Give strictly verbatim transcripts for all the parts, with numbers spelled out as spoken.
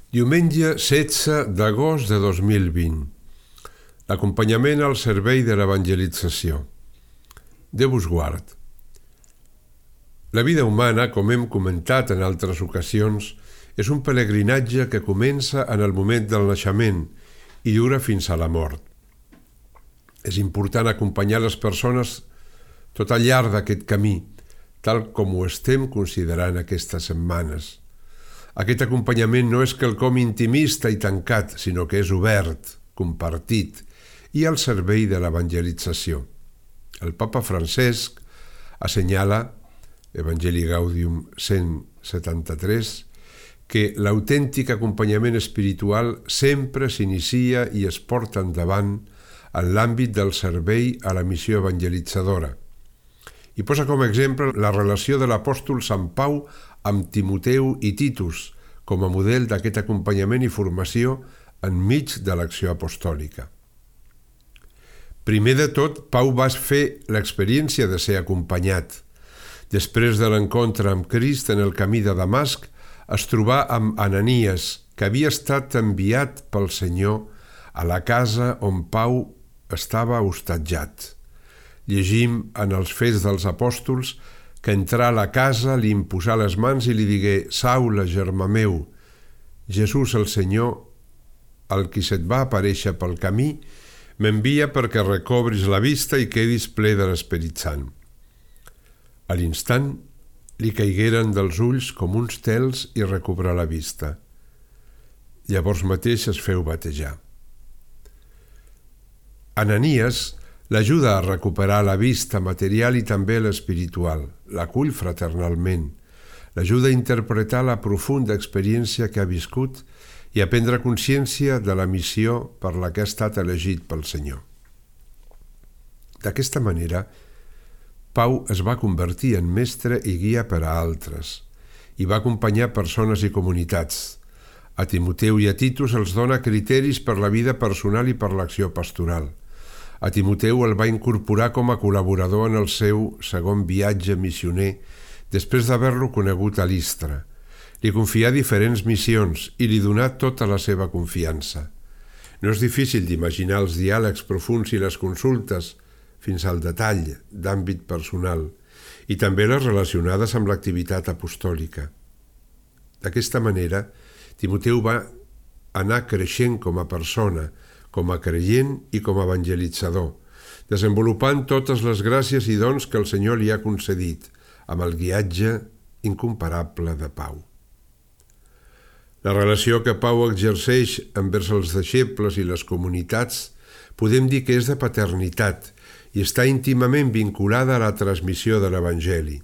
Diumenge setze d'agost de dos mil vint. L'acompanyament al servei de l'evangelització. Déu us guard. La vida humana, com hem comentat en altres ocasions, és un pelegrinatge que comença en el moment del naixement i dura fins a la mort. És important acompanyar les persones tot al llarg d'aquest camí, tal com ho estem considerant aquestes setmanes. Aquest acompanyament no és quelcom intimista i tancat, sinó que és obert, compartit i al servei de l'evangelització. El Papa Francesc assenyala, Evangelii Gaudium cent setanta-tres, que l'autèntic acompanyament espiritual sempre s'inicia i es porta endavant en l'àmbit del servei a la missió evangelitzadora. I posa com a exemple la relació de l'apòstol Sant Pau amb Timoteu i Titus com a model d'aquest acompanyament i formació enmig de l'acció apostòlica. Primer de tot, Pau va fer l'experiència de ser acompanyat. Després de l'encontre amb Crist en el camí de Damasc, es trobà amb Ananies, que havia estat enviat pel Senyor a la casa on Pau estava hostatjat. Llegim en els Fets dels Apòstols que entrà a la casa, li imposà les mans i li digué: «Saula, germà meu, Jesús el Senyor, el qui se't va aparèixer pel camí, m'envia perquè recobris la vista i quedis ple de l'Esperit Sant». A l'instant li caigueren dels ulls com uns tels i recobrà la vista. Llavors mateix es feu batejar. Ananies l'ajuda a recuperar la vista material i també l'espiritual, l'acull fraternalment, l'ajuda a interpretar la profunda experiència que ha viscut i a prendre consciència de la missió per la que ha estat elegit pel Senyor. D'aquesta manera, Pau es va convertir en mestre i guia per a altres i va acompanyar persones i comunitats. A Timoteu i a Titus els dona criteris per la vida personal i per l'acció pastoral. A Timoteu el va incorporar com a col·laborador en el seu segon viatge missioner després d'haver-lo conegut a Listra. Li confià diferents missions i li donà tota la seva confiança. No és difícil d'imaginar els diàlegs profunds i les consultes, fins al detall d'àmbit personal, i també les relacionades amb l'activitat apostòlica. D'aquesta manera, Timoteu va anar creixent com a persona, com a creient i com a evangelitzador, desenvolupant totes les gràcies i dons que el Senyor li ha concedit, amb el guiatge incomparable de Pau. La relació que Pau exerceix envers els deixebles i les comunitats podem dir que és de paternitat i està íntimament vinculada a la transmissió de l'Evangeli.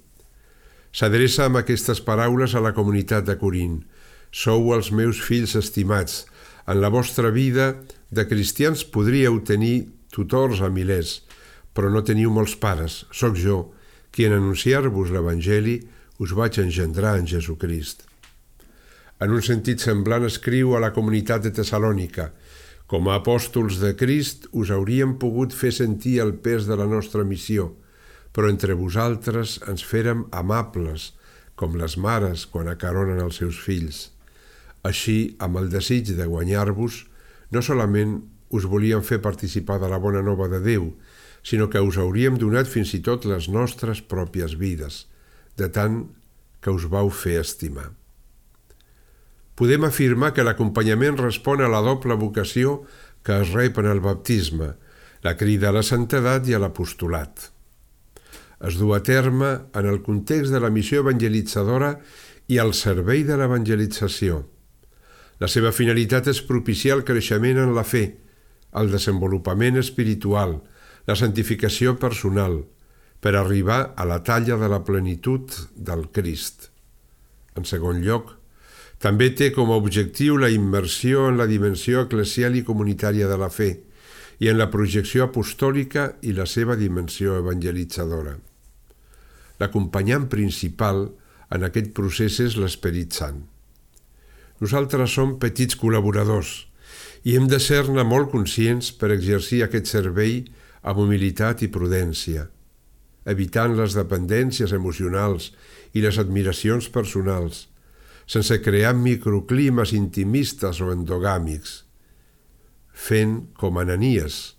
S'adreça amb aquestes paraules a la comunitat de Corint: «Sou els meus fills estimats. En la vostra vida de cristians podríeu tenir tutors a milers, però no teniu molts pares. Soc jo, qui en anunciar-vos l'Evangeli us vaig engendrar en Jesucrist». En un sentit semblant escriu a la comunitat de Tessalònica: «Com a apòstols de Crist us hauríem pogut fer sentir el pes de la nostra missió, però entre vosaltres ens férem amables, com les mares quan acaronen els seus fills. Així, amb el desig de guanyar-vos, no solament us volíem fer participar de la bona nova de Déu, sinó que us hauríem donat fins i tot les nostres pròpies vides, de tant que us vau fer estimar». Podem afirmar que l'acompanyament respon a la doble vocació que es rep en el baptisme, la crida a la santedat i a l'apostolat. Es du a terme en el context de la missió evangelitzadora i al servei de l'evangelització. La seva finalitat és propiciar el creixement en la fe, el desenvolupament espiritual, la santificació personal, per arribar a la talla de la plenitud del Crist. En segon lloc, també té com a objectiu la immersió en la dimensió eclesial i comunitària de la fe i en la projecció apostòlica i la seva dimensió evangelitzadora. L'acompanyant principal en aquest procés és l'Esperit Sant. Nosaltres som petits col·laboradors i hem de ser-ne molt conscients per exercir aquest servei amb humilitat i prudència, evitant les dependències emocionals i les admiracions personals, sense crear microclimes intimistes o endogàmics, fent com Ananies,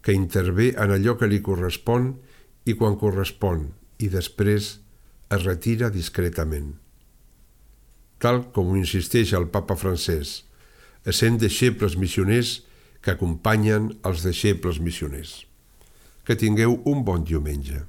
que intervé en allò que li correspon i quan correspon, i després es retira discretament. Tal com ho insisteix el papa francès, essent deixebles missioners que acompanyen els deixebles missioners. Que tingueu un bon diumenge.